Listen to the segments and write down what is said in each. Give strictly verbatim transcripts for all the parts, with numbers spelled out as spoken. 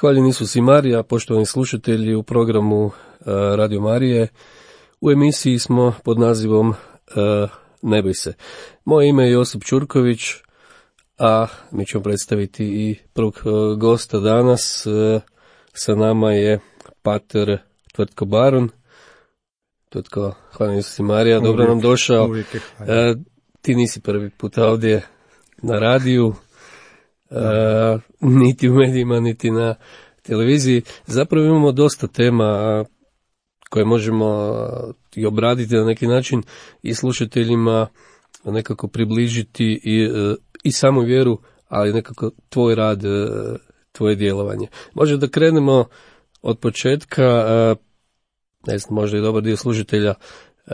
Hvaljeni Isus i Marija, poštovani slušatelji u programu uh, Radio Marije. U emisiji smo pod nazivom uh, Ne boj se. Moje ime je Josip Ćurković, a mi ćemo predstaviti i prvog uh, gosta danas. Uh, sa nama je pater Tvrtko Barun. Tvrtko, hvaljeni Isus i Marija, dobro uvijek, nam došao. Uh, ti nisi prvi put ovdje na radiju. Uh, niti u medijima, niti na televiziji. Zapravo imamo dosta tema uh, koje možemo uh, i obraditi na neki način i slušateljima nekako približiti i, uh, i samu vjeru, ali nekako tvoj rad, uh, tvoje djelovanje. Možda da krenemo od početka, uh, ne znam, možda i dobar dio slušatelja uh,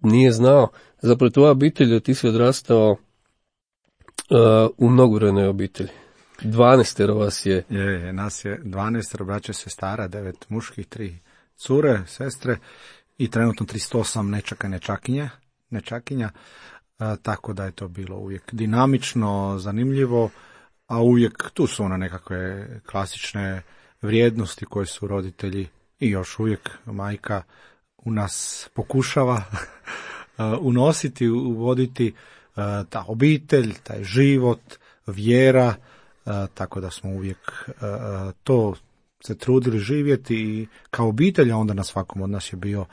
nije znao, zapravo tvoja obitelj, ti si odrastao Uh, u mnogobrojnoj obitelji. Dvanaestero vas je. Je, je, nas je dvanaestero braće, sestara, devet muških, tri cure, sestre i trenutno tristo osam nečaka i nečakinja, nečakinja, uh, tako da je to bilo uvijek dinamično, zanimljivo, a uvijek tu su one nekakve klasične vrijednosti koje su roditelji i još uvijek majka u nas pokušava unositi, uvoditi. Ta obitelj, taj život, vjera, tako da smo uvijek to se trudili živjeti i kao obitelj, a onda na svakom od nas je bio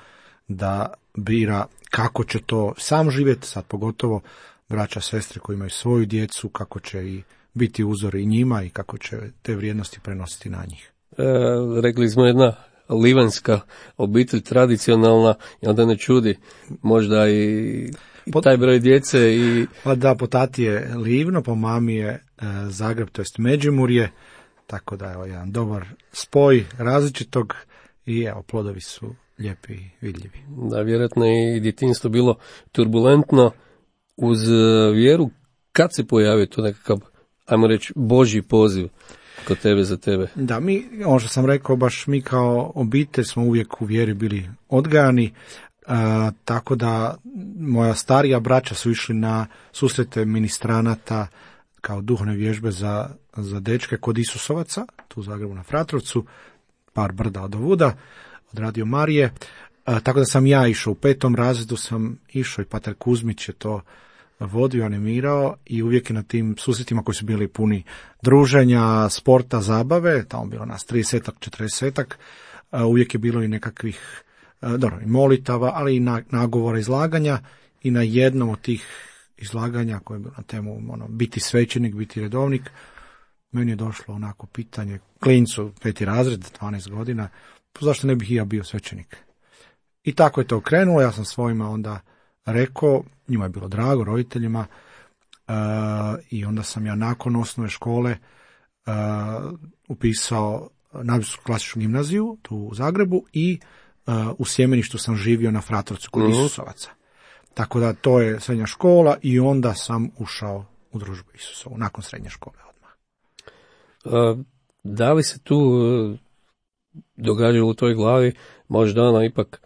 da bira kako će to sam živjeti, sad pogotovo braća, sestre koji imaju svoju djecu, kako će i biti uzor i njima i kako će te vrijednosti prenositi na njih. E, rekli smo jedna livanska obitelj, tradicionalna, i onda ne čudi možda i Po, taj broj djece i... Pa da, po tati je Livno, po mami je e, Zagreb, to jest Međimurje, tako da je jedan dobar spoj različitog i evo, plodovi su lijepi i vidljivi. Da, vjerojatno je i djetinjstvo bilo turbulentno uz vjeru. Kad se pojavio to nekakav, ajmo reći, Božji poziv kod tebe za tebe? Da, mi, ono što sam rekao, baš mi kao obitelj smo uvijek u vjeri bili odgajani. Uh, tako da moja starija braća su išli na susrete ministranata kao duhovne vježbe za, za dečke kod Isusovaca, tu u Zagrebu na Fratrovcu, par brda od ovuda, od Radio Marije. Uh, tako da sam ja išao, u petom razredu sam išao i pater Kuzmić je to vodio, animirao i uvijek je na tim susretima koji su bili puni druženja, sporta, zabave, tamo bilo nas tridesetak, četrdesetak, uh, uvijek je bilo i nekakvih dobro, i molitava, ali i nagovora izlaganja i na jednom od tih izlaganja koje je bilo na temu ono, biti svećenik, biti redovnik, meni je došlo onako pitanje, klincu, peti razred, dvanaest godina, zašto ne bih i ja bio svećenik? I tako je to krenulo, ja sam svojima onda rekao, njima je bilo drago, roditeljima, uh, i onda sam ja nakon osnovne škole uh, upisao Nadbiskupsku klasičnu gimnaziju tu u Zagrebu i Uh, u Sjemeništu sam živio na Fratrovcu kod uh-huh. Isusovaca. Tako da to je srednja škola i onda sam ušao u družbu Isusovu, nakon srednje škole odmah. Uh, da li se tu uh, događalo u tvojoj glavi, možda ono ipak,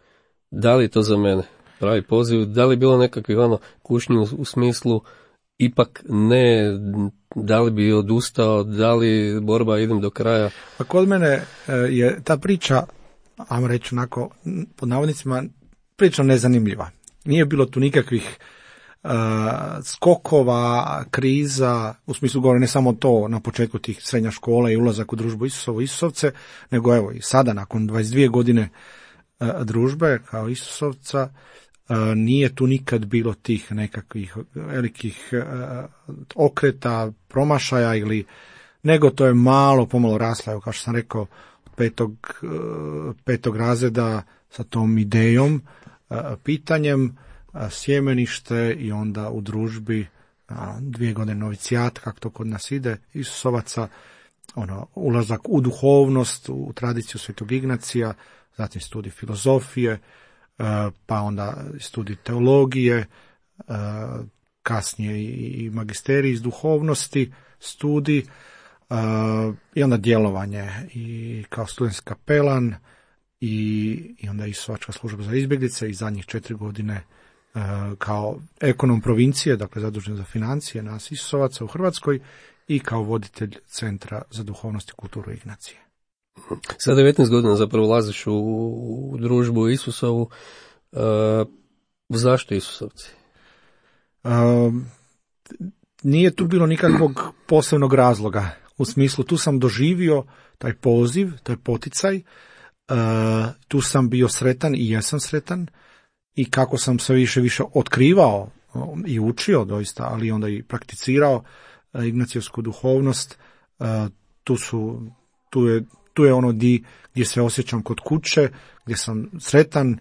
da li je to za mene pravi poziv, da li je bilo nekakvih ono kušnji u, u smislu, ipak ne, da li bi odustao, da li borba idem do kraja? Pa kod mene uh, je ta priča, ajmo reći onako, pod navodnicima, prilično nezanimljiva. Nije bilo tu nikakvih uh, skokova, kriza, u smislu govore ne samo to na početku tih srednja škola i ulazak u družbu Isusovu, Isusovce, nego evo i sada nakon dvadeset dvije godine uh, družbe kao Isusovca, uh, nije tu nikad bilo tih nekakvih velikih uh, okreta, promašaja ili, nego to je malo, pomalo rasla, evo kao što sam rekao, Petog, petog razreda sa tom idejom, pitanjem, sjemenište i onda u družbi dvije godine novicijat, kako to kod nas ide, Isusovaca, ono, ulazak u duhovnost, u tradiciju Svetog Ignacija, zatim studij filozofije, pa onda studij teologije, kasnije i magisterij iz duhovnosti, studij, Uh, i onda djelovanje i kao studentski kapelan i, i onda Isusovačka služba za izbjeglice i zadnjih četiri godine uh, kao ekonom provincije, dakle zadužen za financije nas Isusovaca u Hrvatskoj i kao voditelj Centra za duhovnost i kulturu Ignacije. Sa devetnaest godina zapravo ulaziš u, u družbu Isusovu. Uh, zašto Isusovci? Uh, nije tu bilo nikakvog posebnog razloga. U smislu, tu sam doživio taj poziv, taj poticaj, uh, tu sam bio sretan i jesam sretan i kako sam sve više više otkrivao i učio doista, ali onda i prakticirao uh, ignacijevsku duhovnost, uh, tu su, tu je, tu je ono di, gdje se osjećam kod kuće, gdje sam sretan,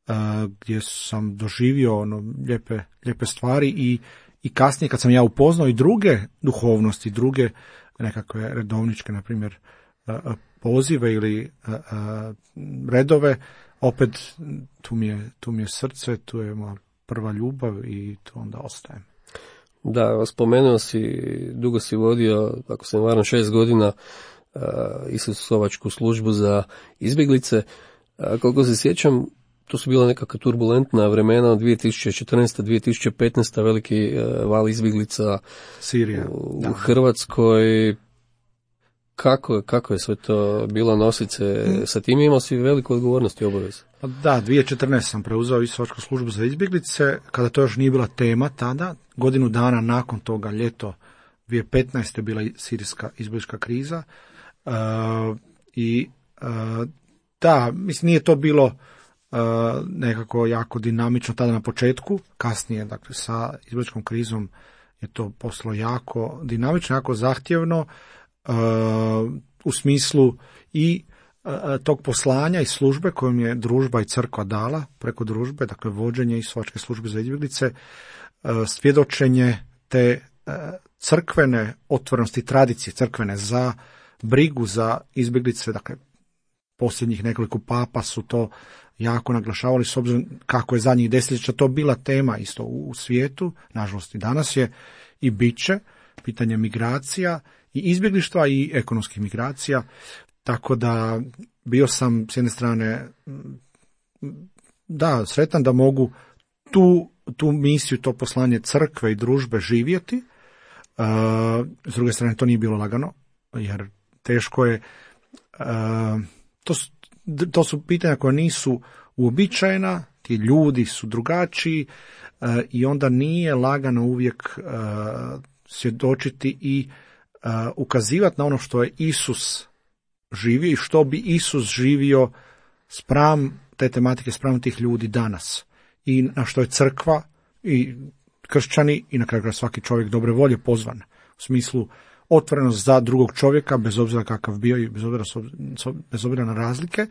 uh, gdje sam doživio ono lijepe, lijepe stvari i, i kasnije kad sam ja upoznao i druge duhovnosti, druge nekakve redovničke, na primjer, pozive ili redove, opet tu mi je, tu mi je srce, tu je moja prva ljubav i tu onda ostajem. Da, spomenuo si, dugo si vodio, ako se ne varam, šest godina Isusovačku službu za izbjeglice. Koliko se sjećam, to su bila nekakva turbulentna vremena od dvije tisuće četrnaeste. do dvije tisuće petnaeste. veliki val izbjeglica Sirija, u da. Hrvatskoj. Kako, kako je sve to bilo nositi se sa tim? Imao si veliku odgovornost i obavezu. Da, dvije tisuće četrnaeste. sam preuzeo Isusovačku službu za izbjeglice, kada to još nije bila tema tada. Godinu dana nakon toga, ljeto dvije tisuće petnaeste. je bila sirijska izbjeglička kriza. Uh, I uh, da, mislim, nije to bilo uh, nekako jako dinamično tada na početku, kasnije, dakle, sa izbjegličkom krizom je to postalo jako dinamično, jako zahtjevno, uh, u smislu i uh, tog poslanja i službe kojom je družba i crkva dala preko družbe, dakle, vođenje Isusovačke službe za izbjeglice, uh, svjedočenje te uh, crkvene otvorenosti, tradicije crkvene za brigu za izbjeglice, dakle, posljednjih nekoliko papa su to jako naglašavali, s obzirom kako je zadnjih desetljeća to bila tema isto u, u svijetu, nažalost i danas je, i bit će, pitanje migracija i izbjeglištva i ekonomskih migracija, tako da bio sam s jedne strane da, sretan da mogu tu, tu misiju, to poslanje crkve i družbe živjeti, uh, s druge strane to nije bilo lagano, jer teško je, uh, to, su, to su pitanja koja nisu uobičajena, ti ljudi su drugačiji uh, i onda nije lagano uvijek uh, svjedočiti i uh, ukazivati na ono što je Isus živio i što bi Isus živio spram te tematike, spram tih ljudi danas. I na što je crkva i kršćani i na kraju krajeva svaki čovjek dobre volje pozvan. U smislu otvorenost za drugog čovjeka, bez obzira kakav bio i bez obzira, bez obzira na razlike,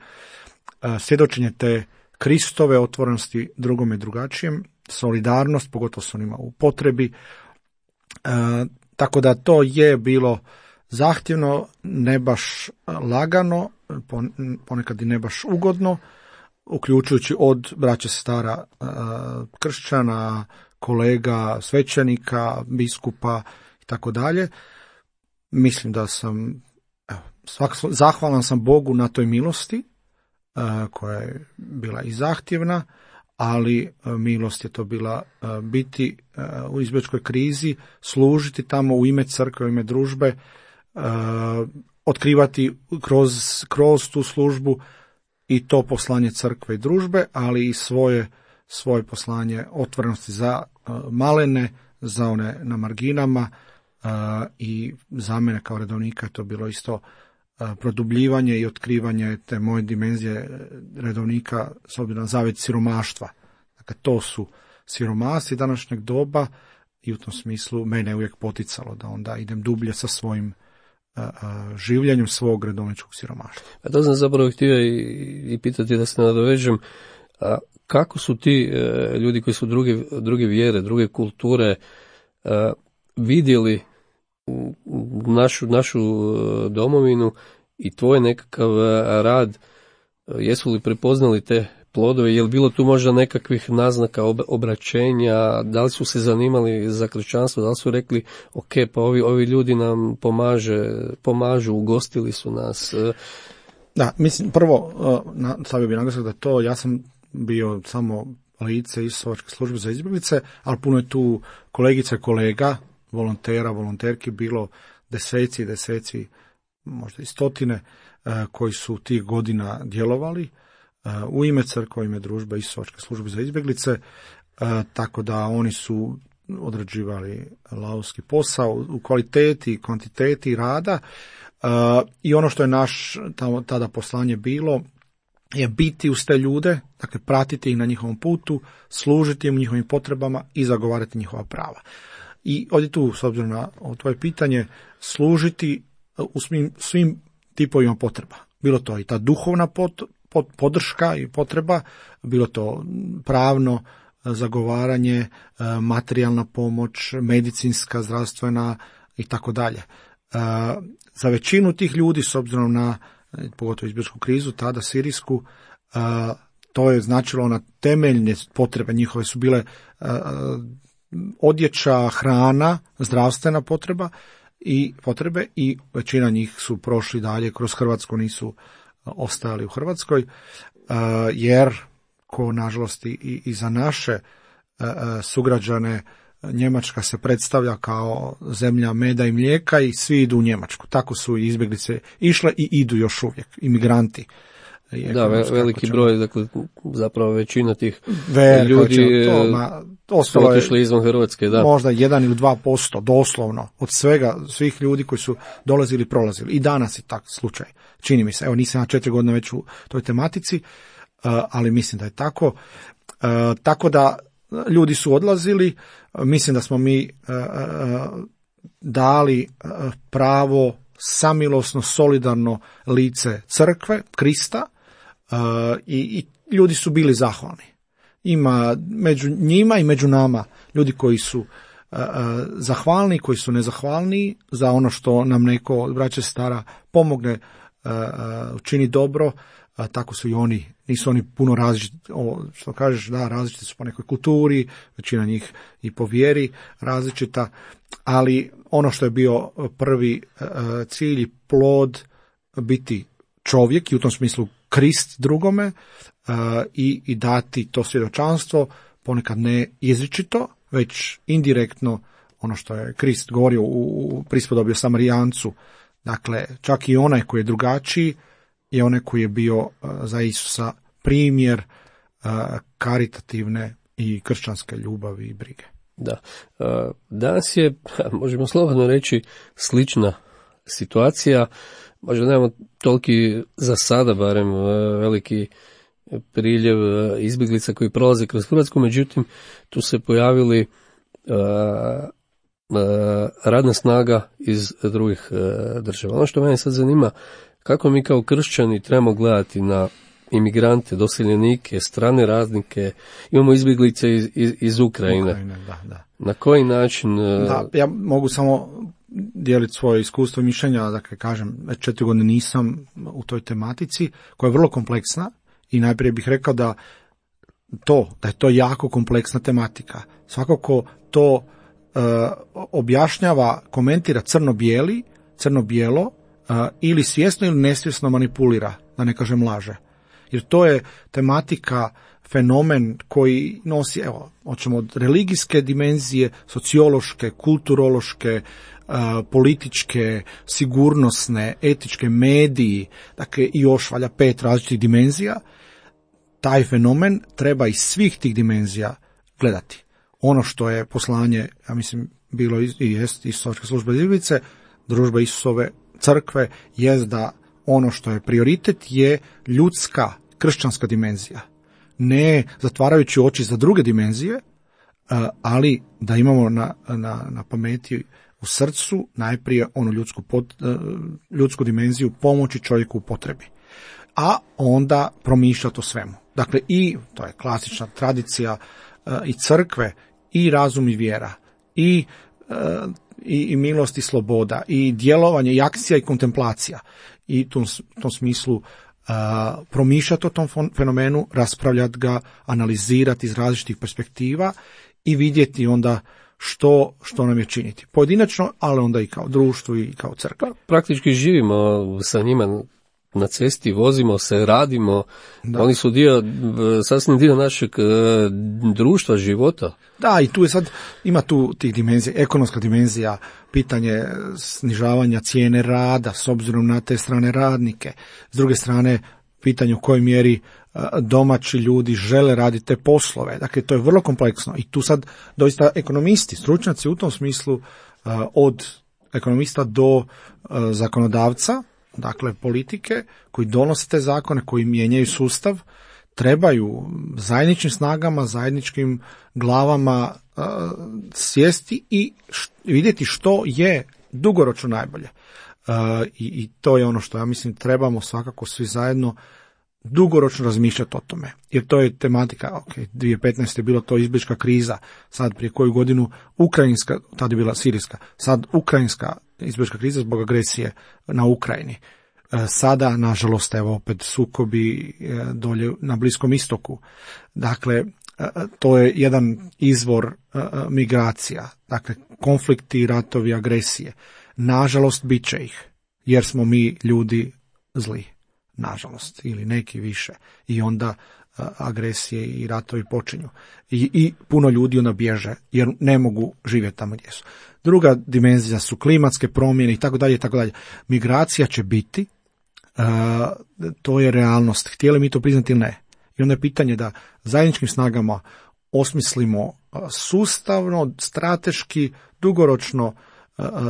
svjedočenje te Kristove otvorenosti drugome i drugačijem, solidarnost, pogotovo s onima u potrebi. E, tako da to je bilo zahtjevno, ne baš lagano, ponekad i ne baš ugodno, uključujući od braće sestara e, kršćana, kolega, svećenika, biskupa i tako dalje. Mislim da sam, evo, svak, zahvalan sam Bogu na toj milosti, uh, koja je bila i zahtjevna, ali uh, milost je to bila uh, biti uh, u izbjegličkoj krizi, služiti tamo u ime crkve, u ime družbe, uh, otkrivati kroz, kroz tu službu i to poslanje crkve i družbe, ali i svoje, svoje poslanje otvorenosti za uh, malene, za one na marginama. Uh, i za mene kao redovnika je to bilo isto uh, produbljivanje i otkrivanje te moje dimenzije redovnika s obzirom na zavjet siromaštva. Dakle, to su siromasi današnjeg doba i u tom smislu mene je uvijek poticalo da onda idem dublje sa svojim uh, uh, življenjem svog redovničkog siromaštva. A to sam zapravo htio i, i pitati da se nadovežem, a kako su ti uh, ljudi koji su druge, druge vjere, druge kulture uh, vidjeli našu, našu domovinu i tvoj nekakav rad, jesu li prepoznali te plodove, je li bilo tu možda nekakvih naznaka obraćenja, da li su se zanimali za kršćanstvo, da li su rekli ok, pa ovi, ovi ljudi nam pomaže, pomažu, ugostili su nas. Da, mislim, prvo, stavio bih naglasak da to, ja sam bio samo lice Isusovačke službe za izbjeglice, ali puno je tu kolegica i kolega, volontera, volonterki bilo deseci i deseci, možda i stotine, koji su tih godina djelovali u ime crkve, u ime družbe Isusovačke službe za izbjeglice, tako da oni su odrađivali lavovski posao u kvaliteti i kvantiteti rada, i ono što je naš tada poslanje bilo je biti uz te ljude, dakle pratiti ih na njihovom putu, služiti im njihovim potrebama i zagovarati njihova prava. I ovdje tu, s obzirom na tvoje pitanje, služiti u svim, svim tipovima potreba. Bilo to i ta duhovna pot, pot, podrška i potreba, bilo to pravno zagovaranje, materijalna pomoć, medicinska, zdravstvena i tako dalje. Za većinu tih ljudi, s obzirom na pogotovo izbjegličku krizu, tada sirijsku, to je značilo na temeljne potrebe njihove su bile odjeća, hrana, zdravstvena potreba i potrebe, i većina njih su prošli dalje kroz Hrvatsku, nisu ostajali u Hrvatskoj, jer ko nažalost i, i za naše sugrađane Njemačka se predstavlja kao zemlja meda i mlijeka i svi idu u Njemačku. Tako su i izbjeglice išle i idu još uvijek, imigranti. Da, veliki broj, dakle, zapravo većina tih Veliko, ljudi to, ma, su otišli izvan Hrvatske. Da. Možda jedan ili dva posto, doslovno, od svega, svih ljudi koji su dolazili i prolazili. I danas je tak slučaj, čini mi se. Evo, nisam ja četiri godine već u toj tematici, ali mislim da je tako. Tako da ljudi su odlazili, mislim da smo mi dali pravo samilosno, solidarno lice crkve, Krista, i, i ljudi su bili zahvalni. Ima među njima i među nama ljudi koji su zahvalni, koji su nezahvalni za ono što nam neko od braće stara pomogne, učini dobro. A tako su i oni, nisu oni puno različiti, što kažeš, da, različiti su po nekoj kulturi, većina njih i po vjeri različita, ali ono što je bio prvi cilj i plod, biti čovjek i u tom smislu Krist drugome, i, i dati to svjedočanstvo, ponekad ne izričito, već indirektno, ono što je Krist govorio u prispodobi o Samarijancu, dakle, čak i onaj koji je drugačiji, je onaj koji je bio za Isusa primjer karitativne i kršćanske ljubavi i brige. Da. Danas je, možemo slobodno reći, slična situacija. Možda nemamo toliki, za sada barem, veliki priljev izbjeglica koji prolaze kroz Hrvatsku, međutim, tu se pojavili radna snaga iz drugih država. Ono što mene sad zanima, kako mi kao kršćani trebamo gledati na imigrante, doseljenike, strane radnike, imamo izbjeglice iz, iz, iz Ukrajine. Ukrajine da, da. Na koji način? Da, ja mogu samo dijeliti svoje iskustvo i mišljenja, dakle kažem, već četiri godine nisam u toj tematici, koja je vrlo kompleksna, i najprije bih rekao da to, da je to jako kompleksna tematika. Svako ko to uh, objašnjava, komentira crno-bijeli, crno-bijelo, uh, ili svjesno ili nesvjesno manipulira, da ne kažem laže. Jer to je tematika, fenomen koji nosi, evo, hoćemo od religijske dimenzije, sociološke, kulturološke, uh, političke, sigurnosne, etičke, mediji, dakle i još valja pet različitih dimenzija. Taj fenomen treba iz svih tih dimenzija gledati. Ono što je poslanje, ja mislim, bilo i jest Isusovačke službe izbjeglice, družba Isusove crkve, jest da ono što je prioritet je ljudska, kršćanska dimenzija. Ne zatvarajući oči za druge dimenzije, ali da imamo na, na, na pameti, u srcu najprije onu ljudsku, pot, ljudsku dimenziju pomoći čovjeku u potrebi. A onda promišljati o svemu. Dakle, i, to je klasična tradicija i crkve, i razum i vjera, i, i, i milost i sloboda, i djelovanje, i akcija i kontemplacija. I u tom, tom smislu uh, promišljati o tom fenomenu, raspravljati ga, analizirati iz različitih perspektiva i vidjeti onda što, što nam je činiti. Pojedinačno, ali onda i kao društvo i kao crkva. Praktički živimo sa njima na cesti, vozimo se, radimo, da. Oni su dio, sasvim dio našeg e, društva, života. Da, i tu je sad, ima tu tih dimenzija, ekonomska dimenzija, pitanje snižavanja cijene rada s obzirom na te strane radnike. S druge strane, pitanje u kojoj mjeri domaći ljudi žele raditi te poslove. Dakle, to je vrlo kompleksno. I tu sad doista ekonomisti, stručnjaci u tom smislu od ekonomista do zakonodavca, dakle politike, koji donose te zakone, koji mijenjaju sustav, trebaju zajedničkim snagama, zajedničkim glavama uh, sjesti i š, vidjeti što je dugoročno najbolje. Uh, i, I to je ono što ja mislim trebamo svakako svi zajedno dugoročno razmišljati o tome. Jer to je tematika, ok, dvije tisuće petnaeste je bilo to izbjeglička kriza, sad prije koju godinu ukrajinska, tada je bila sirijska, sad ukrajinska izbjeglička kriza zbog agresije na Ukrajini. Sada, nažalost, evo opet sukobi dolje na Bliskom istoku. Dakle, to je jedan izvor migracija. Dakle, konflikti, ratovi, agresije. Nažalost, bit će ih, jer smo mi ljudi zli. Nažalost, ili neki više. I onda agresije i ratovi počinju. I, i puno ljudi onda bježe, jer ne mogu živjeti tamo gdje su. Druga dimenzija su klimatske promjene i tako dalje i tako dalje. Migracija će biti, uh, to je realnost. Htjeli mi to priznati ili ne? I onda je pitanje da zajedničkim snagama osmislimo sustavno, strateški, dugoročno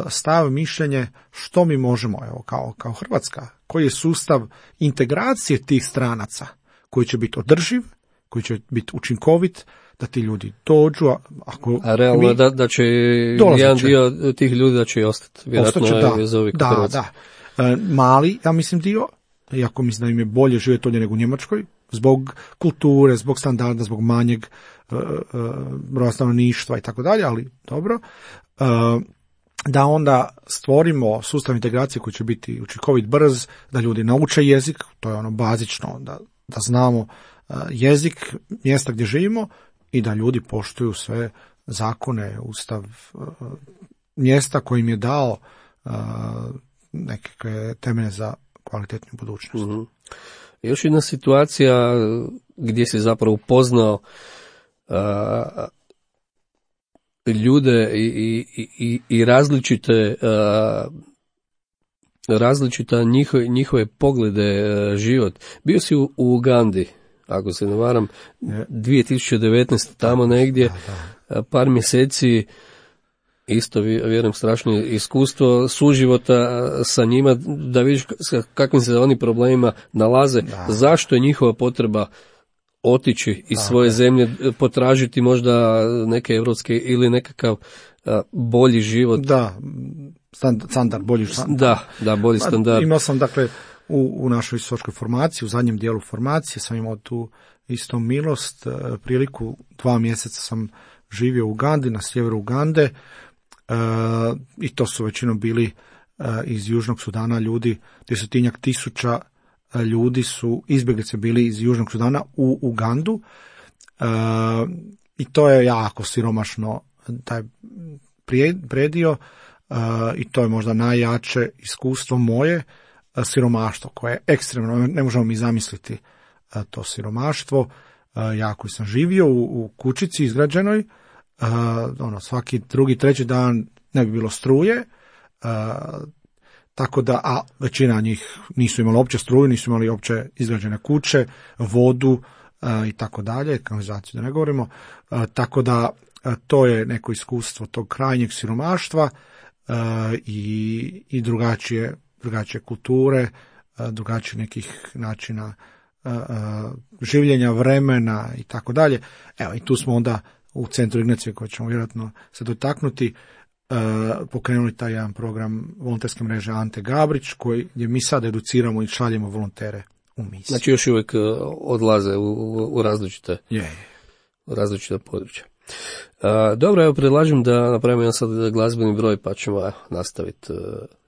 stav, mišljenje što mi možemo, evo, kao, kao Hrvatska, koji je sustav integracije tih stranaca, koji će biti održiv, koji će biti učinkovit, da ti ljudi dođu. Ako a realno mi, da, da će jedan će. dio tih ljudi da će i ostati. Vjerojatno Ostaće, da, je ovih da, da. E, mali, ja mislim, dio, iako mislim da im je bolje živjeti ovdje nego u Njemačkoj, zbog kulture, zbog standarda, zbog manjeg e, e, broja stanovništva i tako dalje, ali dobro. E, da onda stvorimo sustav integracije koji će biti učinkovit, brz, da ljudi nauče jezik, to je ono bazično, da, da znamo uh, jezik mjesta gdje živimo i da ljudi poštuju sve zakone, ustav uh, mjesta koji im je dao uh, neke temelje za kvalitetnu budućnost. Mm-hmm. Još jedna situacija gdje si zapravo upoznao uh, ljude i, i, i, i različite uh, različita njihove, njihove poglede, uh, život. Bio si u, u Ugandi, ako se ne varam, dvije tisuće devetnaeste tamo negdje, uh, par mjeseci, isto vjerujem strašno iskustvo suživota sa njima, da vidiš s kakvim se oni problemima nalaze, da. Zašto je njihova potreba otići iz svoje okay. zemlje, potražiti možda neke evropske ili nekakav a, bolji život. Da, standard, bolji standard. Da, da, bolji standard. Imao sam, dakle, u, u našoj istočkoj formaciji, u zadnjem dijelu formacije sam imao tu isto milost, priliku, dva mjeseca sam živio u Ugandi, na sjeveru Ugande, e, i to su većinom bili e, iz Južnog Sudana ljudi, desetinjak tisuća ljudi su izbjeglice bili iz Južnog Sudana u Ugandu, e, i to je jako siromašno, taj predio, e, i to je možda najjače iskustvo moje, e, siromaštvo koje je ekstremno, ne možemo mi zamisliti e, to siromaštvo. E, ja koji sam živio u, u kućici izgrađenoj, e, ono, svaki drugi, treći dan ne bi bilo struje, e, tako da, a većina njih nisu imali uopće struju, nisu imali uopće izgrađene kuće, vodu uh, i tako dalje, kanalizaciju da ne govorimo, uh, tako da uh, to je neko iskustvo tog krajnjeg siromaštva uh, i, i drugačije, drugačije kulture, uh, drugačije nekih načina uh, uh, življenja, vremena i tako dalje. Evo, i tu smo onda u centru Ignacije, koji ćemo vjerojatno se dotaknuti, Uh, pokrenuli taj jedan program volonterske mreže Ante Gabrić, koji gdje mi sad educiramo i šaljemo volontere u misiju. Znači još uvijek uh, odlaze u, u, u različite yeah. u različite područja. Uh, dobro, evo predlažem da napravimo jedan sad glazbeni broj, pa ćemo uh, nastaviti uh,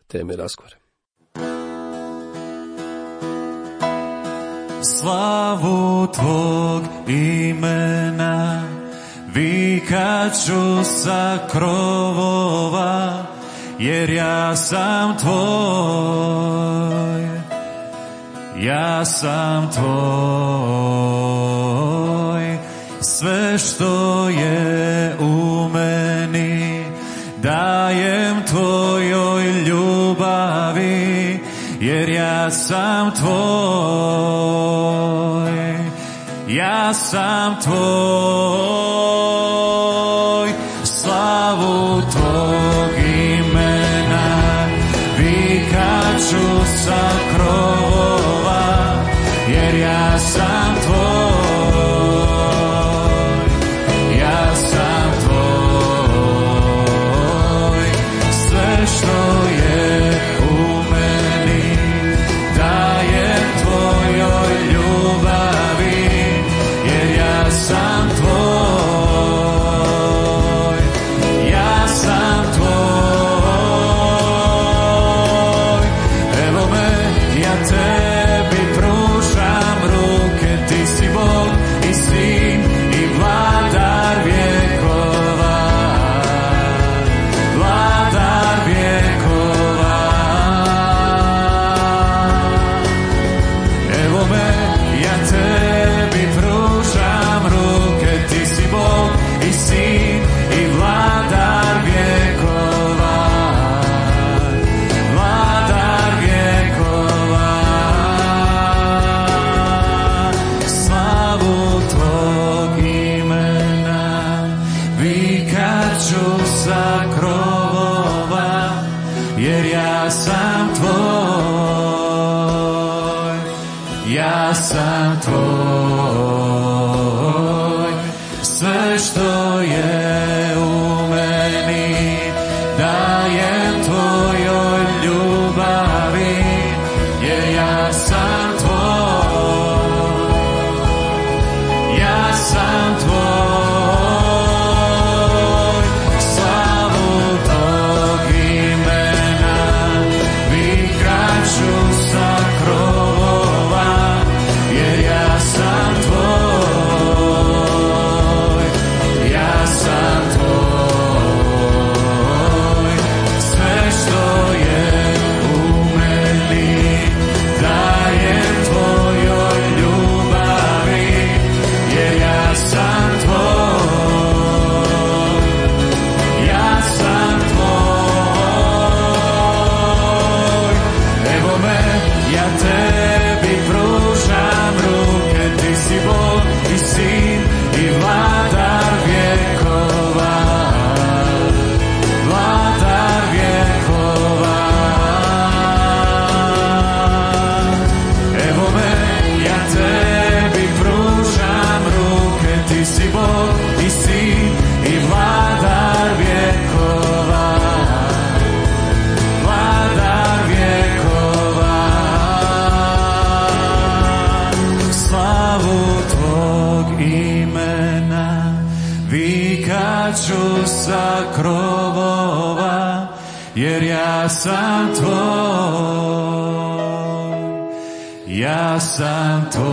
teme razgovore. Slavu tvog imena vikat ću sa krovova, jer ja sam tvoj. ja sam tvoj, sve što je u meni dajem tvojoj ljubavi, jer ja sam tvoj, ja sam tvoj, slavu tvog imena vikat ću sa krovova, jer ja sam tvoj, ja sam tvoj, sve što je u meni dajem tvojoj ljubavi, jer ja sam tvoj, ja sam tvoj. Evo me, ja tebi pružam ruke, ti si Bog i Sin i vladar vjekova, vladar vjekova. Evo me, ja tebi pružam ruke, ti si Bog i Sin i vladar vjekova, vladar vjekova. Slavu tvog imena vikat ću sa krovova, jer ja sam tvoj, ja sam tvoj, sve što je u meni dajem tvojoj ljubavi, jer ja sam tvoj, ja sam tvoj, slavu tvog imena vikat ću sa krovova, jer ja sam tvoj, ja sam tvoj, sve što je u meni dajem tvojoj ljubavi, jer ja sam tvoj, ja sam tvoj. Evo me, ja tebi pružam ruke, ti si Bog i Sin i vladar vjekova, vladar vjekova. Evo me, ja tebi pružam ruke, ti si Bog i Sin i vladar vjekova, vladar vjekova. Slavu tvog imena vikat ću sa krovova, jer ja sam tvoj, ja sam tvoj,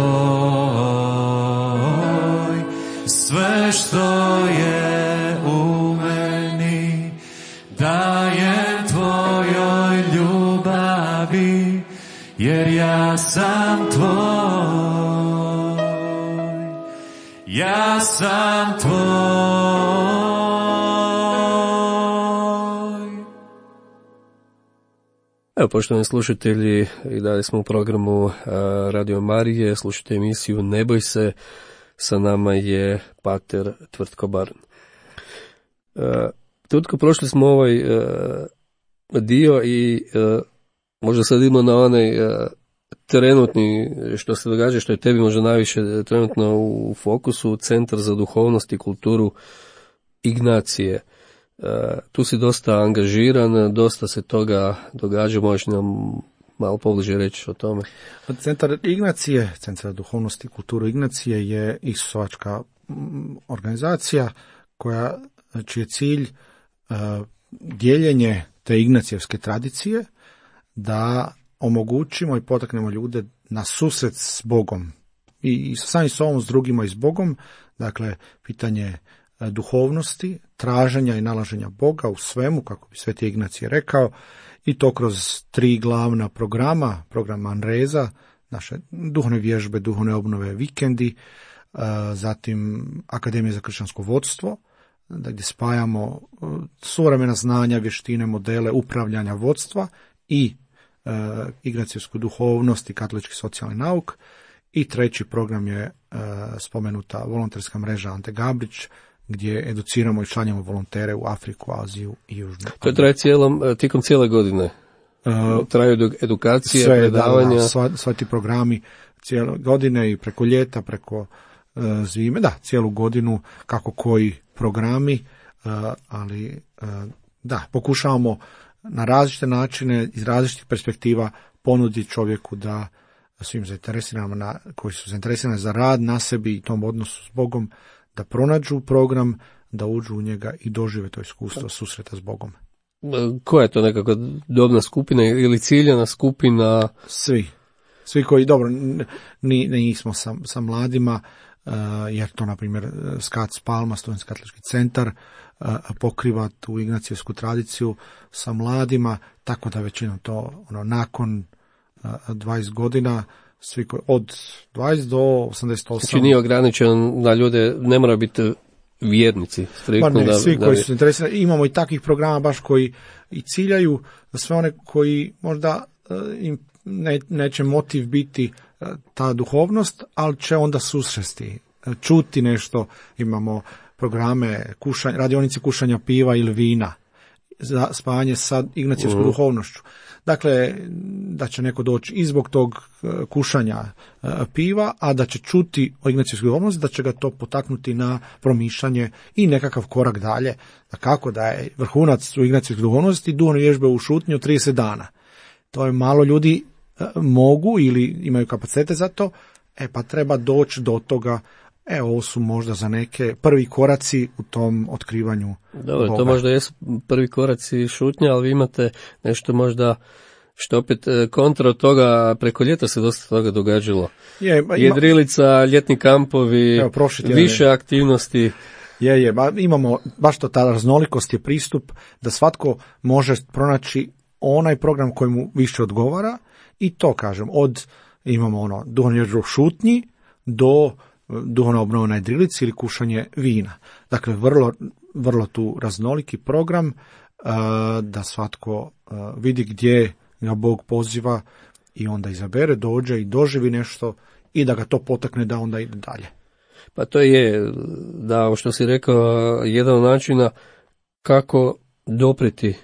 sve što je u meni dajem tvojoj ljubavi, jer ja sam tvoj, ja sam tvoj. Evo, poštovani slušatelji, i dalje smo u programu uh, Radio Marije, slušajte emisiju Ne boj se, sa nama je pater Tvrtko Barn. Uh, Tvrtko, prošli smo ovaj uh, dio i uh, možda sad idemo na onaj uh, trenutni, što se događa, što je tebi možda najviše trenutno u fokusu, Centar za duhovnost i kulturu Ignacije. Uh, tu si dosta angažiran, dosta se toga događa, možeš nam malo pobliže reći o tome. Centar Ignacije, Centar za duhovnost i kulturu Ignacije je isusovačka organizacija koja, čiji je cilj uh, dijeljenje te ignacijevske tradicije, da omogućimo i potaknemo ljude na susret s Bogom i, i sami s ovom, s drugima i s Bogom. Dakle, pitanje duhovnosti, traženja i nalaženja Boga u svemu, kako bi Sveti Ignacij rekao, i to kroz tri glavna programa, program Manresa, naše duhovne vježbe, duhovne obnove, vikendi, zatim Akademija za kršćansko vodstvo, gdje spajamo suvremena znanja, vještine, modele upravljanja vodstva i e, ignacijsku duhovnost i katolički socijalni nauk. I treći program je e, spomenuta volonterska mreža Ante Gabrić, gdje educiramo i šaljemo volontere u Afriku, Aziju i Južnu. To traje cijelom, tijekom cijele godine? Uh, Traju edukacije, sve, predavanja? Da, da, sva, sva ti programi cijele godine i preko ljeta, preko uh, zime, da, cijelu godinu, kako koji programi, uh, ali uh, da, pokušavamo na različite načine, iz različitih perspektiva ponuditi čovjeku da svim zainteresiranim, na, koji su zainteresirani za rad na sebi i tom odnosu s Bogom, da pronađu program, da uđu u njega i dožive to iskustvo susreta s Bogom. Koja je to nekakva dobna skupina ili ciljana skupina? Svi. Svi koji, dobro, ni, nismo sa, sa mladima, uh, jer to, na primjer, Skats Palma, Studentski katolički centar, uh, pokriva tu ignacijevsku tradiciju sa mladima, tako da većinom to ono, nakon uh, dvadeset godina, svi koji, od dvadeset do osamdeset osam. Znači nije ograničen na ljude, ne mora biti vjernici. Ma ne, da, svi da, koji su interesirani. Imamo i takvih programa baš koji i ciljaju za sve one koji možda uh, im ne, neće motiv biti uh, ta duhovnost, ali će onda susresti, uh, čuti nešto. Imamo programe kušanja, radionice kušanja piva ili vina za spajanje sa ignacijevskom uh. duhovnošću. Dakle, da će neko doći i zbog tog kušanja piva, a da će čuti o ignacijevskoj duhovnosti, da će ga to potaknuti na promišljanje i nekakav korak dalje. Da kako da je vrhunac u ignacijevskoj duhovnosti duhovne vježbe u šutnji od trideset dana. To je malo ljudi mogu ili imaju kapacitete za to, e pa treba doći do toga. E, ovo su možda za neke prvi koraci u tom otkrivanju Dobro, Boga. To možda jesu prvi koraci šutnja, ali vi imate nešto možda što opet kontra od toga, preko ljeta se dosta toga događalo. Je, ima, Jedrilica, ljetni kampovi, evo, više je. aktivnosti. Je, je, ba, imamo, baš to ta raznolikost je pristup da svatko može pronaći onaj program koji mu više odgovara i to kažem, od imamo ono duhovnu vježbu šutnji do duhovna obnova na jedrilici ili kušanje vina. Dakle, vrlo, vrlo tu raznoliki program uh, da svatko uh, vidi gdje ga Bog poziva i onda izabere, dođe i doživi nešto i da ga to potakne da onda ide dalje. Pa to je, da, ovo što si rekao, jedan od načina kako dopreti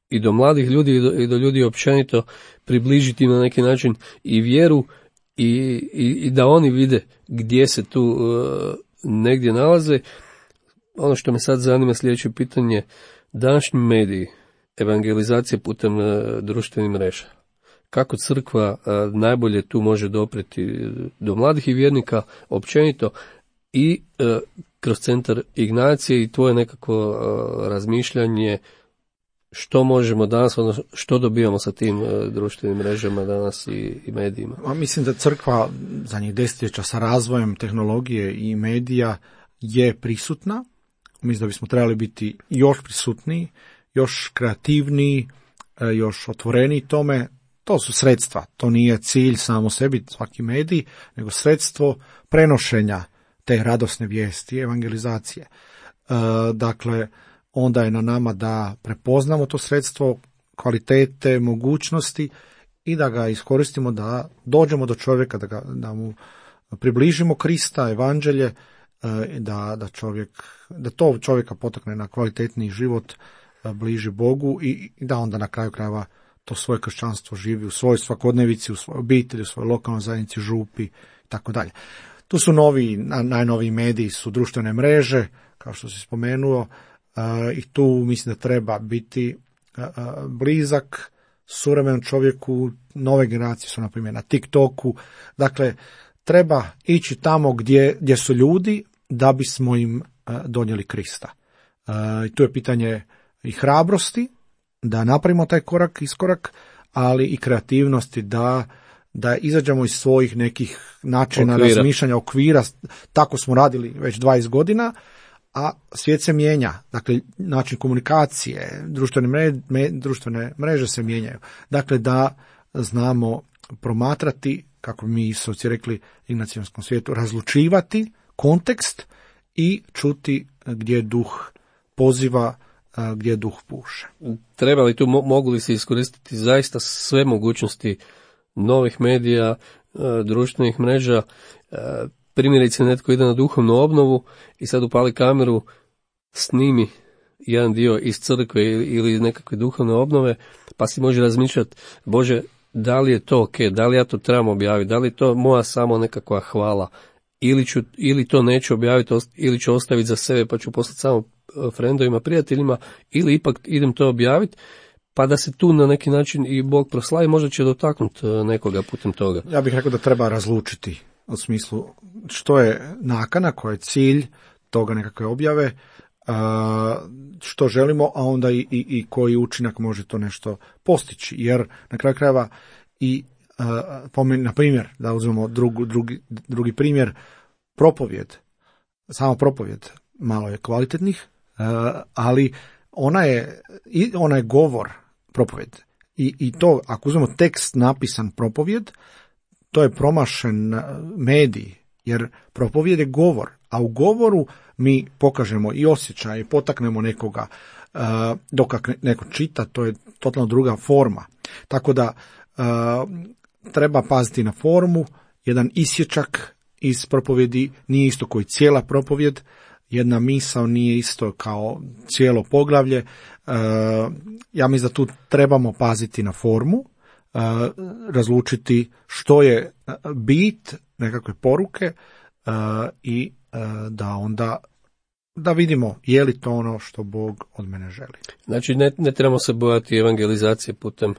i do mladih ljudi i do, i do ljudi općenito, približiti na neki način i vjeru i, i, i da oni vide gdje se tu uh, negdje nalaze. Ono što me sad zanima, sljedeće pitanje, današnji mediji, evangelizacija putem uh, društvenih mreža. Kako crkva uh, najbolje tu može dopreti do mladih i vjernika općenito i uh, kroz centar Ignacije i tvoje nekako uh, razmišljanje što možemo danas, odnosno što dobijamo sa tim uh, društvenim mrežama danas i, i medijima? A mislim da crkva zadnjih desetljeća sa razvojem tehnologije i medija je prisutna. Mislim da bismo trebali biti još prisutniji, još kreativniji, još otvoreniji tome. To su sredstva, to nije cilj samo sebi, svaki medij, nego sredstvo prenošenja te radosne vijesti, evangelizacije. E, dakle, onda je na nama da prepoznamo to sredstvo, kvalitete, mogućnosti i da ga iskoristimo da dođemo do čovjeka, da, ga, da mu približimo Krista, evanđelje, e, da, da, čovjek, da to čovjeka potakne na kvalitetniji život, bliži Bogu i, i da onda na kraju krajeva to svoje kršćanstvo živi u svojoj svakodnevici, u svojoj obitelji, u svojoj lokalnoj zajednici, župi i tako dalje. Tu su novi, najnoviji mediji su društvene mreže, kao što si spomenuo, uh, i tu mislim da treba biti uh, blizak suvremenom čovjeku. Nove generacije su na primjer na TikToku. Dakle, treba ići tamo gdje, gdje su ljudi da bismo im uh, donijeli Krista. Uh, i tu je pitanje i hrabrosti da napravimo taj korak, iskorak, ali i kreativnosti da, da izađemo iz svojih nekih načina okvira. razmišljanja, okvira. Tako smo radili već dvadeset godina, a svijet se mijenja. Dakle, način komunikacije, društvene mreže, me, društvene mreže se mijenjaju. Dakle, da znamo promatrati kako bi mi Isovci rekli ignacijanskom svijetu, razlučivati kontekst i čuti gdje duh poziva, gdje duh puše. Treba li tu, mogu li se iskoristiti zaista sve mogućnosti novih medija, društvenih mreža? Primjerice, netko ide na duhovnu obnovu i sad upali kameru, snimi jedan dio iz crkve ili nekakve duhovne obnove, pa si može razmišljati, Bože, da li je to ok, da li ja to trebam objaviti, da li je to moja samo nekakva hvala, ili, ću, ili to neću objaviti, ili ću ostaviti za sebe pa ću poslati samo frendovima, prijateljima, ili ipak idem to objaviti, pa da se tu na neki način i Bog proslavi, možda će dotaknuti nekoga putem toga. Ja bih rekao da treba razlučiti u smislu što je nakana, koji je cilj toga nekakve objave, što želimo, a onda i, i, i koji učinak može to nešto postići. Jer na kraju krajeva i, na primjer, da uzmemo drugu, drugi, drugi primjer, propovjed, samo propovjed, malo je kvalitetnih, ali ona je, ona je govor propovjed. I, i to, ako uzmemo tekst napisan propovjed, to je promašen medij, jer propovjed je govor, a u govoru mi pokažemo i osjećaj, potaknemo nekoga, dok neko čita, to je totalno druga forma. Tako da treba paziti na formu, jedan isječak iz propovjedi nije isto koji cijela propovjed, jedna misao nije isto kao cijelo poglavlje. Ja mislim da tu trebamo paziti na formu, razlučiti što je bit nekakve poruke i da onda da vidimo je li to ono što Bog od mene želi. Znači ne, ne trebamo se bojati evangelizacije putem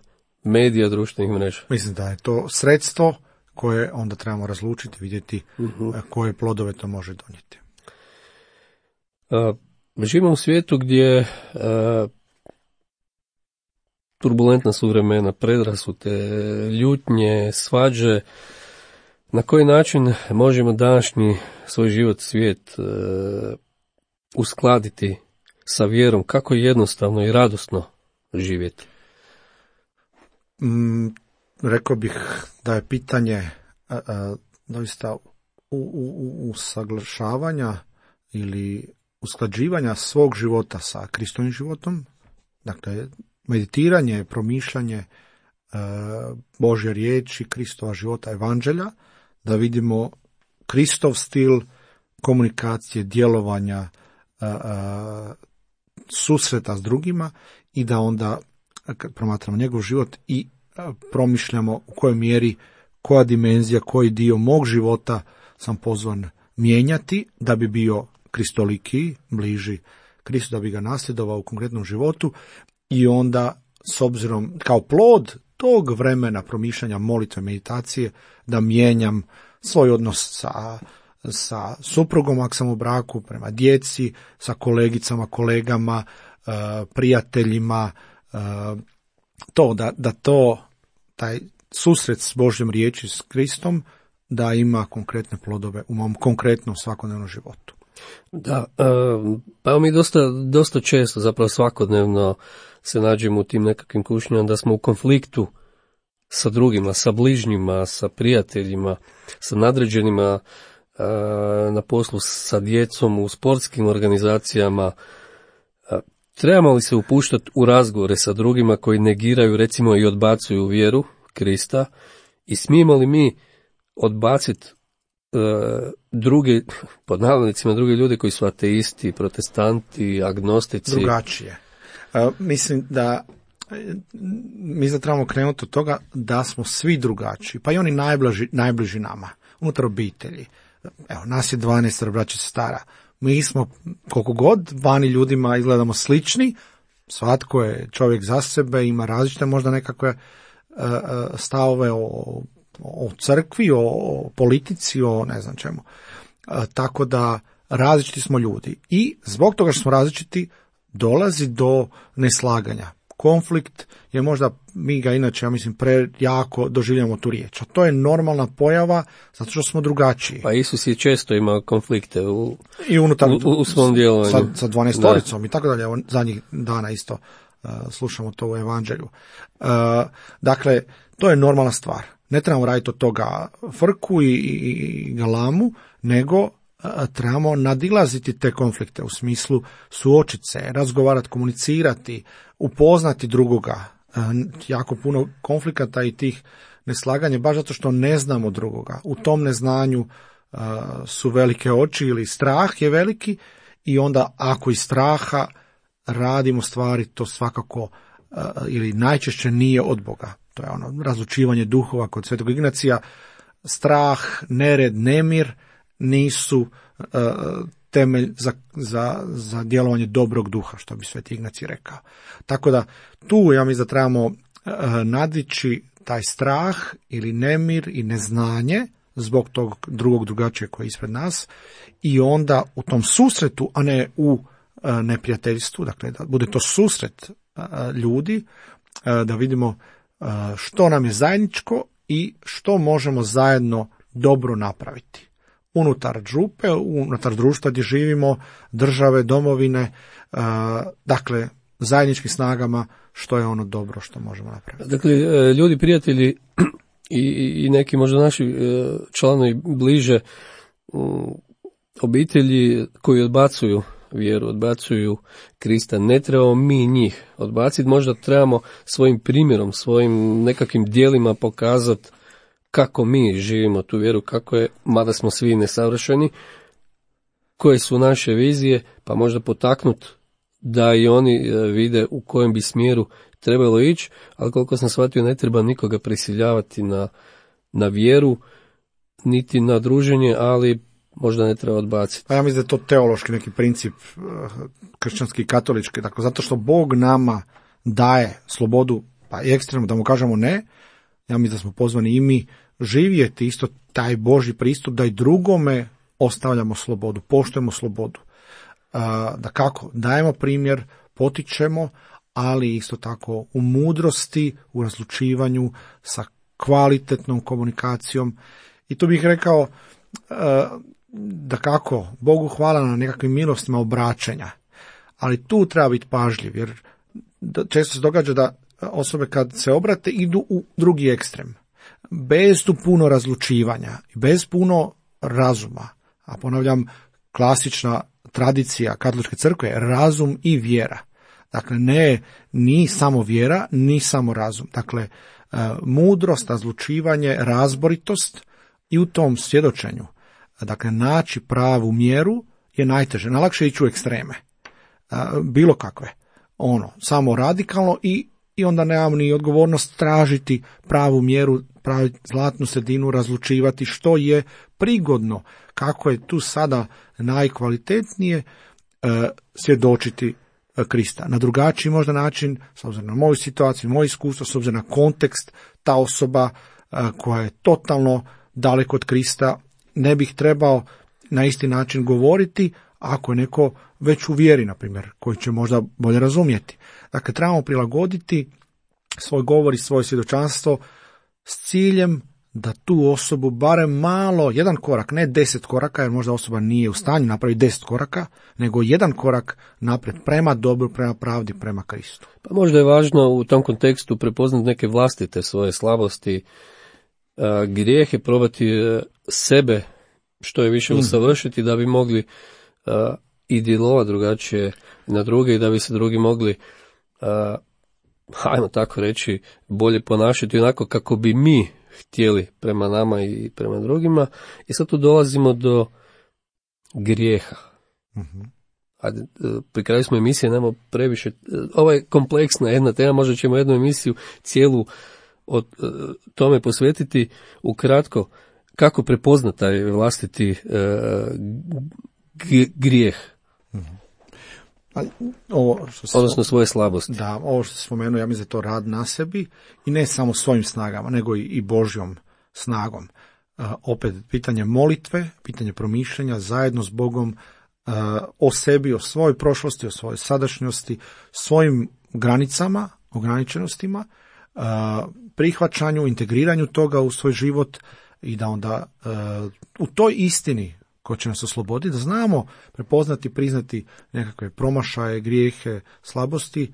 medija, društvenih mreža. Mislim da je to sredstvo koje onda trebamo razlučiti, vidjeti uh-huh. koje plodove to može donijeti. Uh, živimo u svijetu gdje uh, turbulentna su vremena, predrasute, ljutnje, svađe. Na koji način možemo današnji svoj život, svijet uh, uskladiti sa vjerom? Kako jednostavno i radosno živjeti? Mm, rekao bih da je pitanje uh, uh, doista usaglašavanja ili usklađivanja svog života sa Kristovim životom, dakle meditiranje, promišljanje e, Božje riječi, Kristova života, evanđelja, da vidimo Kristov stil komunikacije, djelovanja, e, e, susreta s drugima i da onda kad promatramo njegov život i e, promišljamo u kojoj mjeri, koja dimenzija, koji dio mog života sam pozvan mijenjati da bi bio kristoliki, bliži Kristu, da bi ga nasljedovao u konkretnom životu i onda s obzirom kao plod tog vremena promišljanja, molitve, meditacije, da mijenjam svoj odnos sa, sa suprugom ako sam u braku, prema djeci, sa kolegicama, kolegama, prijateljima, to da, da to, taj susret s Božjom riječi, s Kristom, da ima konkretne plodove u mom konkretnom svakodnevnom životu. Da, pa mi dosta, dosta često, zapravo svakodnevno se nađemo u tim nekakvim kušnjama da smo u konfliktu sa drugima, sa bližnjima, sa prijateljima, sa nadređenima na poslu, sa djecom, u sportskim organizacijama. Trebamo li se upuštati u razgovore sa drugima koji negiraju, recimo, i odbacuju vjeru Krista i smijemo li mi odbaciti druge, pod navodnicima, druge ljude koji su ateisti, protestanti, agnostici? Drugačije. Uh, mislim da mi da trebamo krenuti od toga da smo svi drugačiji, pa i oni najbliži, najbliži nama, unutar obitelji. Evo, nas je dvanaest braća sestara. Mi smo, koliko god vani ljudima izgledamo slični, svatko je čovjek za sebe, ima različite možda nekakve uh, stavove o o crkvi, o politici, o ne znam čemu. E, tako da različiti smo ljudi. I zbog toga što smo različiti dolazi do neslaganja. Konflikt je možda, mi ga inače, ja mislim, prejako doživljamo tu riječ. A to je normalna pojava zato što smo drugačiji. Pa Isus je često imao konflikte u, I unutar, u, u svom djelovanju. Sa, sa dvanaestoricom i tako dalje. Zadnjih dana isto uh, slušamo to u evanđelju. Uh, dakle, to je normalna stvar. ne trebamo raditi od toga frku i, i galamu, nego trebamo nadilaziti te konflikte u smislu suočiti se, razgovarati, komunicirati, upoznati drugoga. Jako puno konflikata i tih neslaganja, baš zato što ne znamo drugoga. U tom neznanju uh, su velike oči ili strah je veliki i onda ako iz straha radimo stvari, to svakako uh, ili najčešće nije od Boga. To je ono razlučivanje duhova kod Svetog Ignacija. Strah, nered, nemir nisu uh, temelj za, za, za djelovanje dobrog duha, što bi Sveti Ignacij rekao. Tako da tu ja mislim da trebamo uh, nadići taj strah ili nemir i neznanje zbog tog drugog drugačije koji je ispred nas i onda u tom susretu, a ne u uh, neprijateljstvu, dakle da bude to susret uh, ljudi, uh, da vidimo uh, što nam je zajedničko i što možemo zajedno dobro napraviti. Unutar župe, unutar društva gdje živimo, države, domovine, uh, dakle, zajedničkim snagama, što je ono dobro što možemo napraviti. Dakle, ljudi, prijatelji i, i neki možda naši članovi bliže obitelji koji odbacuju vjeru, odbacuju Krista, ne trebamo mi njih odbaciti, možda trebamo svojim primjerom, svojim nekakvim djelima pokazati kako mi živimo tu vjeru, kako je, mada smo svi nesavršeni, koje su naše vizije, pa možda potaknuti da i oni vide u kojem bi smjeru trebalo ići, ali koliko sam shvatio ne treba nikoga prisiljavati na, na vjeru, niti na druženje, ali možda ne treba odbaciti. Pa ja mislim da je to teološki neki princip kršćanski i katolički, dakle zato što Bog nama daje slobodu, pa i ekstremno da mu kažemo ne, ja mislim da smo pozvani i mi živjeti isto taj Božji pristup da i drugome ostavljamo slobodu, poštujemo slobodu. Da kako, dajemo primjer, potičemo, ali isto tako u mudrosti, u razlučivanju sa kvalitetnom komunikacijom. I tu bih rekao da kako, Bogu hvala na nekakvim milostima obraćanja, ali tu treba biti pažljiv, jer često se događa da osobe kad se obrate idu u drugi ekstrem, bez tu puno razlučivanja, bez puno razuma, a ponavljam, klasična tradicija katoličke crkve je razum i vjera. Dakle, ne ni samo vjera, ni samo razum. Dakle, mudrost, razlučivanje, razboritost i u tom svjedočenju, dakle, naći pravu mjeru je najteže. Najlakše ići u ekstreme, bilo kakve. Ono, samo radikalno i, i onda nemam ni odgovornost tražiti pravu mjeru, pravi zlatnu sredinu, razlučivati što je prigodno, kako je tu sada najkvalitetnije e, svjedočiti e, Krista. Na drugačiji možda način, s obzirom na moju situaciju, moje iskustvo, s obzirom na kontekst, ta osoba e, koja je totalno daleko od Krista, ne bih trebao na isti način govoriti ako je neko već u vjeri, na primjer, koji će možda bolje razumjeti. Dakle, trebamo prilagoditi svoj govor i svoje svjedočanstvo s ciljem da tu osobu barem malo, jedan korak, ne deset koraka, jer možda osoba nije u stanju napraviti deset koraka, nego jedan korak naprijed prema dobru, prema pravdi, prema Kristu. Pa možda je važno u tom kontekstu prepoznati neke vlastite svoje slabosti, a, grijehe, probati a, sebe što je više usavršiti da bi mogli a, i djelovati drugačije na druge i da bi se drugi mogli, a, hajmo tako reći, bolje ponašati onako kako bi mi htjeli prema nama i prema drugima. I sad tu dolazimo do grijeha. Mm-hmm. A pri kraju smo emisije, nemamo previše, ovo je kompleksna jedna tema, možda ćemo jednu emisiju cijelu od tome posvetiti. Ukratko, kako prepoznati taj vlastiti uh, grijeh? Mm-hmm. Pa, ovo što se, odnosno svoje slabosti. Da, ovo što se spomenuo, ja mislim da je to rad na sebi i ne samo svojim snagama, nego i, i Božjom snagom. Uh, opet, pitanje molitve, pitanje promišljanja zajedno s Bogom uh, o sebi, o svojoj prošlosti, o svojoj sadašnjosti, svojim granicama, ograničenostima, uh, prihvaćanju, integriranju toga u svoj život i da onda uh, u toj istini ko će nas osloboditi, da znamo prepoznati, priznati nekakve promašaje, grijehe, slabosti,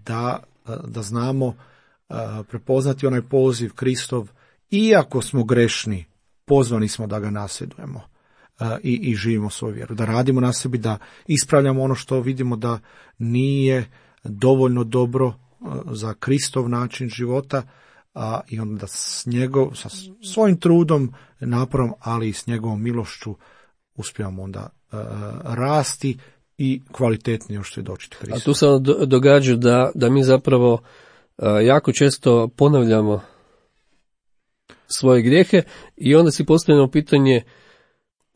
da, da znamo prepoznati onaj poziv Kristov iako smo grešni, pozvani smo da ga nasljedujemo uh, i, i živimo svoju vjeru, da radimo na sebi, da ispravljamo ono što vidimo da nije dovoljno dobro uh, za Kristov način života, a i onda da s njegov, sa svojim trudom, naporom, ali i s njegovom milošću uspijemo onda uh, rasti i kvalitetnije što je dočiti Hristu. A tu se događa da, da mi zapravo uh, jako često ponavljamo svoje grijehe i onda si postavljamo pitanje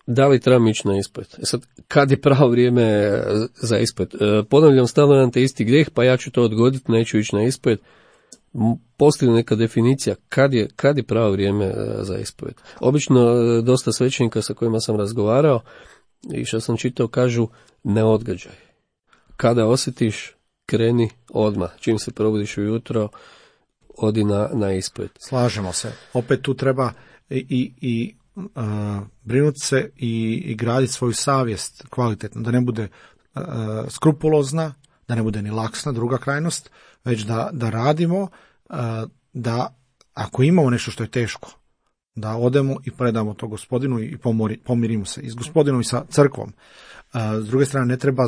da li trebamo ići na ispit. E sad, kad je pravo vrijeme za ispit? Uh, ponavljam stalno na te isti grijeh, pa ja ću to odgoditi, neću ići na ispit. Postoji neka definicija kad je, kad je pravo vrijeme za ispovijed. Obično dosta svećenika sa kojima sam razgovarao i što sam čitao kažu ne odgađaj. Kada osjetiš, kreni odmah. Čim se probudiš ujutro, odi na, na ispovijed. Slažemo se. Opet tu treba i, i, i uh, brinuti se i, i graditi svoju savjest kvalitetno, da ne bude uh, skrupulozna, da ne bude ni laksna, druga krajnost, već da, da radimo, da ako imamo nešto što je teško, da odemo i predamo to Gospodinu i pomori, pomirimo se i s Gospodinom i sa crkvom. S druge strane, ne treba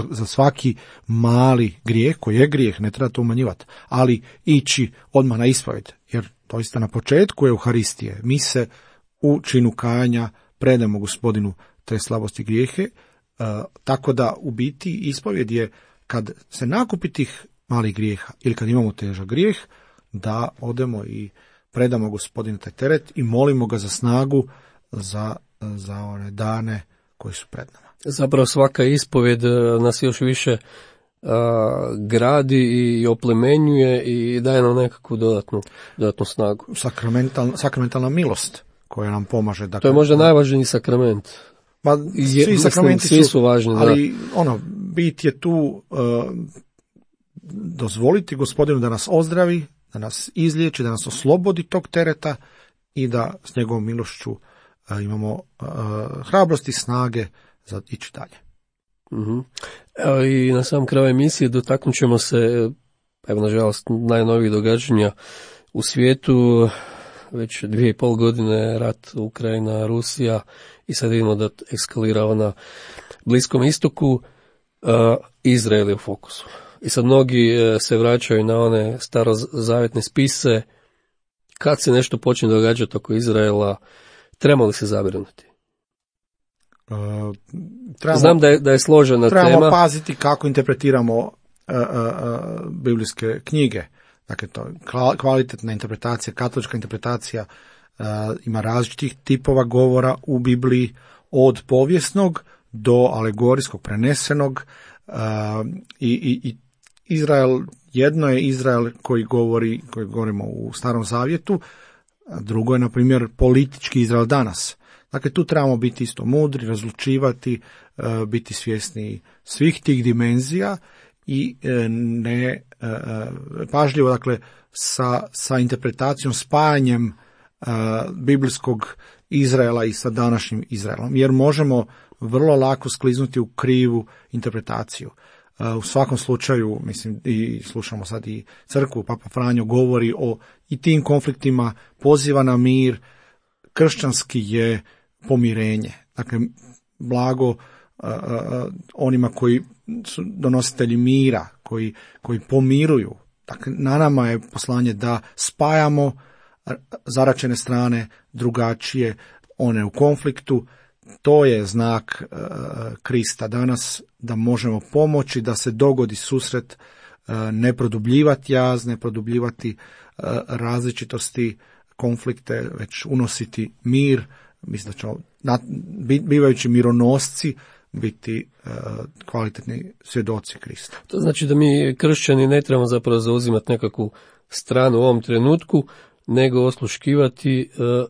za svaki mali grijeh, koji je grijeh, ne treba to umanjivati, ali ići odmah na ispovijed, jer doista na početku Euharistije mi se u činu kajanja predamo Gospodinu te slabosti grijehe, tako da u biti ispovijed je kad se nakupi tih malih grijeha ili kad imamo težak grijeh, da odemo i predamo Gospodinu taj teret i molimo ga za snagu za, za one dane koji su pred nama. Zapravo svaka ispovjed nas još više a, gradi i oplemenjuje i daje nam nekakvu dodatnu, dodatnu snagu. Sakramental, sakramentalna milost koja nam pomaže. Dakle, to je možda najvažniji sakrament. Ma, je, svi sakramenti svi su, su važni, ali da. ono, bit je tu uh, dozvoliti Gospodinu da nas ozdravi, da nas izliječi, da nas oslobodi tog tereta i da s njegovom milošću uh, imamo uh, hrabrosti, snage za ići dalje. Uh-huh. Evo i na samom kraju emisije dotaknut ćemo se, evo nažalost, najnovijih događanja u svijetu. Već dvije i pol godine rat Ukrajina, Rusija i sad vidimo da eskalira na Bliskom istoku. Uh, Izrael je u fokusu. I sad mnogi uh, se vraćaju na one starozavjetne spise. Kad se nešto počne događati oko Izraela, treba li se zabrinuti? Uh, trebamo, Znam da je, da je složena trebamo tema. Trebamo paziti kako interpretiramo uh, uh, uh, biblijske knjige. Dakle, to je kvalitetna interpretacija, katolička interpretacija, uh, ima različitih tipova govora u Bibliji, od povijesnog do alegorijskog, prenesenog, uh, i, i, i Izrael, jedno je Izrael koji govori, koji govorimo u Starom Zavjetu, drugo je, na primjer, politički Izrael danas. Dakle, tu trebamo biti isto mudri, razlučivati, uh, biti svjesni svih tih dimenzija i uh, ne uh, pažljivo, dakle, sa, sa interpretacijom, spajanjem uh, biblijskog Izraela i sa današnjim Izraelom, jer možemo vrlo lako skliznuti u krivu interpretaciju. Uh, u svakom slučaju, mislim, i slušamo sad i crkvu, Papa Franjo govori o i tim konfliktima, poziva na mir, kršćanski je pomirenje. Dakle, blago uh, uh, onima koji su donositelji mira, koji, koji pomiruju. Dakle, na nama je poslanje da spajamo zaračene strane, drugačije, one u konfliktu. To je znak uh, Krista danas, da možemo pomoći da se dogodi susret, uh, ne produbljivati jaz, ne produbljivati uh, različitosti, konflikte, već unositi mir. Mislim da ćemo, bivajući mironosci, biti uh, kvalitetni svjedoci Krista. To znači da mi kršćani ne trebamo zapravo zauzimati nekakvu stranu u ovom trenutku, nego osluškivati uh,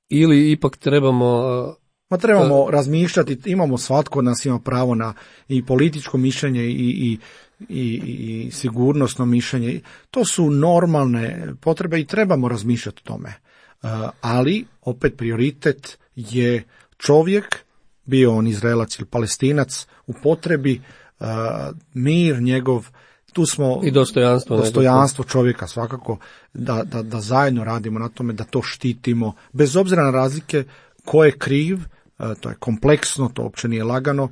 ili ipak trebamo... Uh, Ma trebamo uh, razmišljati, imamo, svatko od nas ima pravo na i političko mišljenje i, i, i, i sigurnosno mišljenje. To su normalne potrebe i trebamo razmišljati o tome. Uh, ali, opet, prioritet je čovjek, bio on Izraelac ili Palestinac, u potrebi uh, mir njegov, tu smo i dostojanstvo, dostojanstvo čovjeka svakako, da, da, da zajedno radimo na tome, da to štitimo, bez obzira na razlike ko je kriv, to je kompleksno, to uopće nije lagano,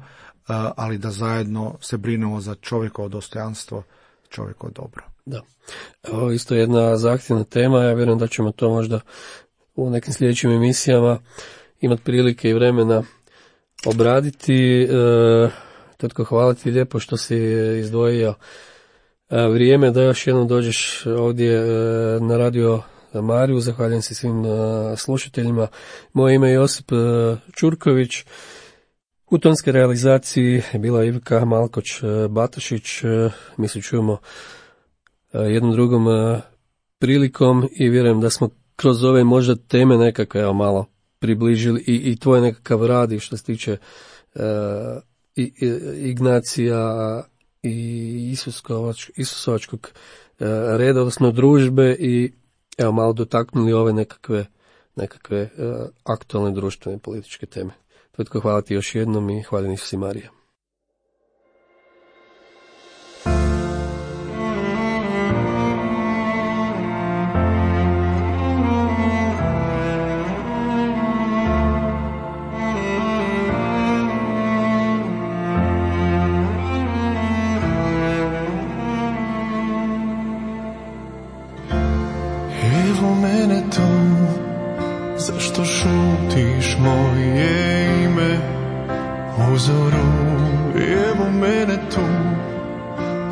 ali da zajedno se brinemo za čovjekovo dostojanstvo, čovjekovo dobro. Da. Ovo isto jedna zahtjevna tema, ja vjerujem da ćemo to možda u nekim sljedećim emisijama imati prilike i vremena obraditi. E, Tetko, hvala ti lijepo što si izdvojio e, vrijeme da još jednom dođeš ovdje e, na Radio Mariju. Zahvaljujem se svim e, slušateljima. Moje ime je Josip e, Čurković. U tonskoj realizaciji je bila Ivka Malkoć-Batašić. E, mi se čujemo e, jednom drugom e, prilikom i vjerujem da smo kroz ove možda teme nekako evo, malo približili i, i tvoj nekakav rad i što se tiče e, i, i, Ignacija i Isusovač, Isusovačkog e, reda, odnosno družbe i evo malo dotaknuli ove nekakve, nekakve e, aktualne društvene političke teme. Tvrtko, hvala ti još jednom i hvala Isus i Marija. Zašto šutiš moje ime u zoru? Evo mene tu.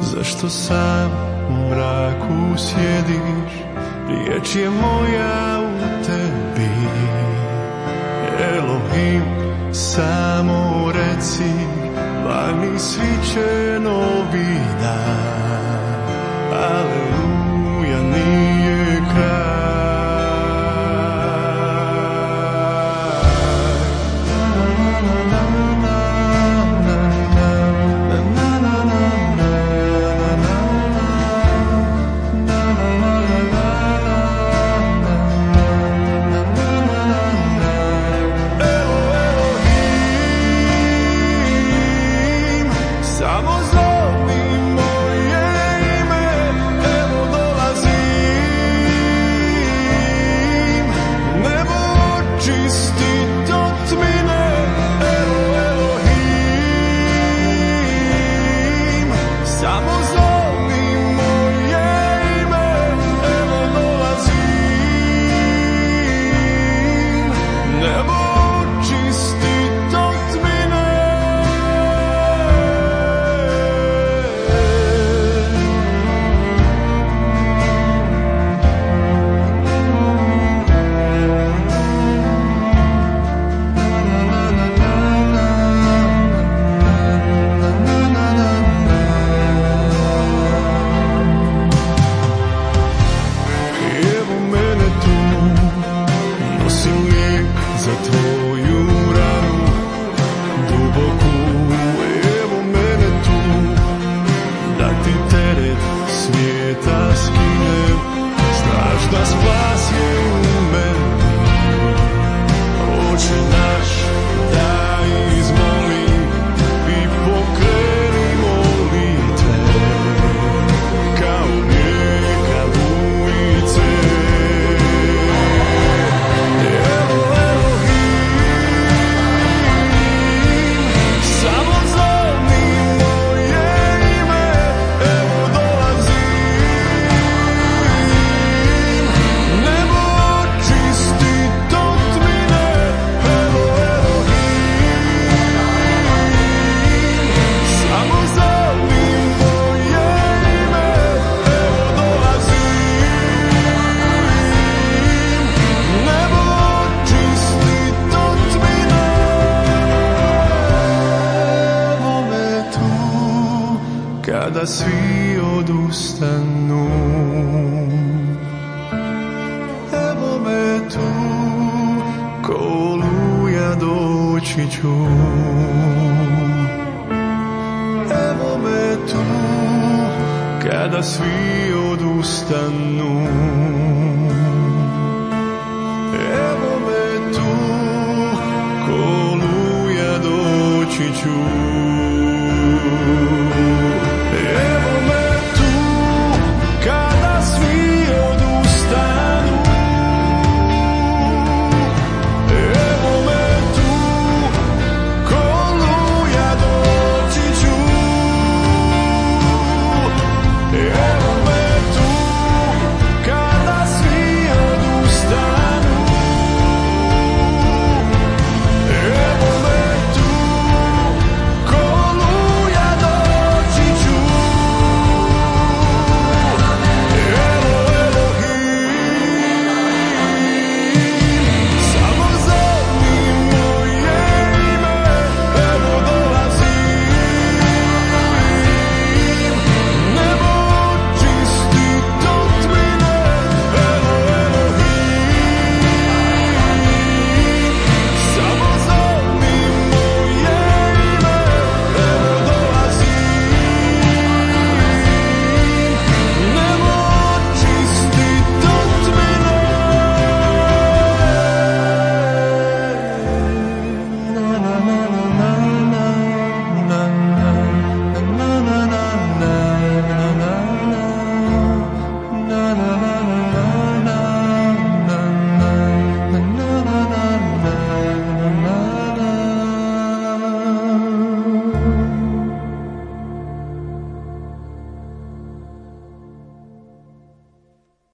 Zašto sam u mraku sjediš? Riječ je moja u tebi. Elohim, samo reci, vani sviće novi dan. Aleluja, nije kraj. Kada svi odustanu, evo me tu, ko oluja doći ću. Evo me tu, kada svi odustanu.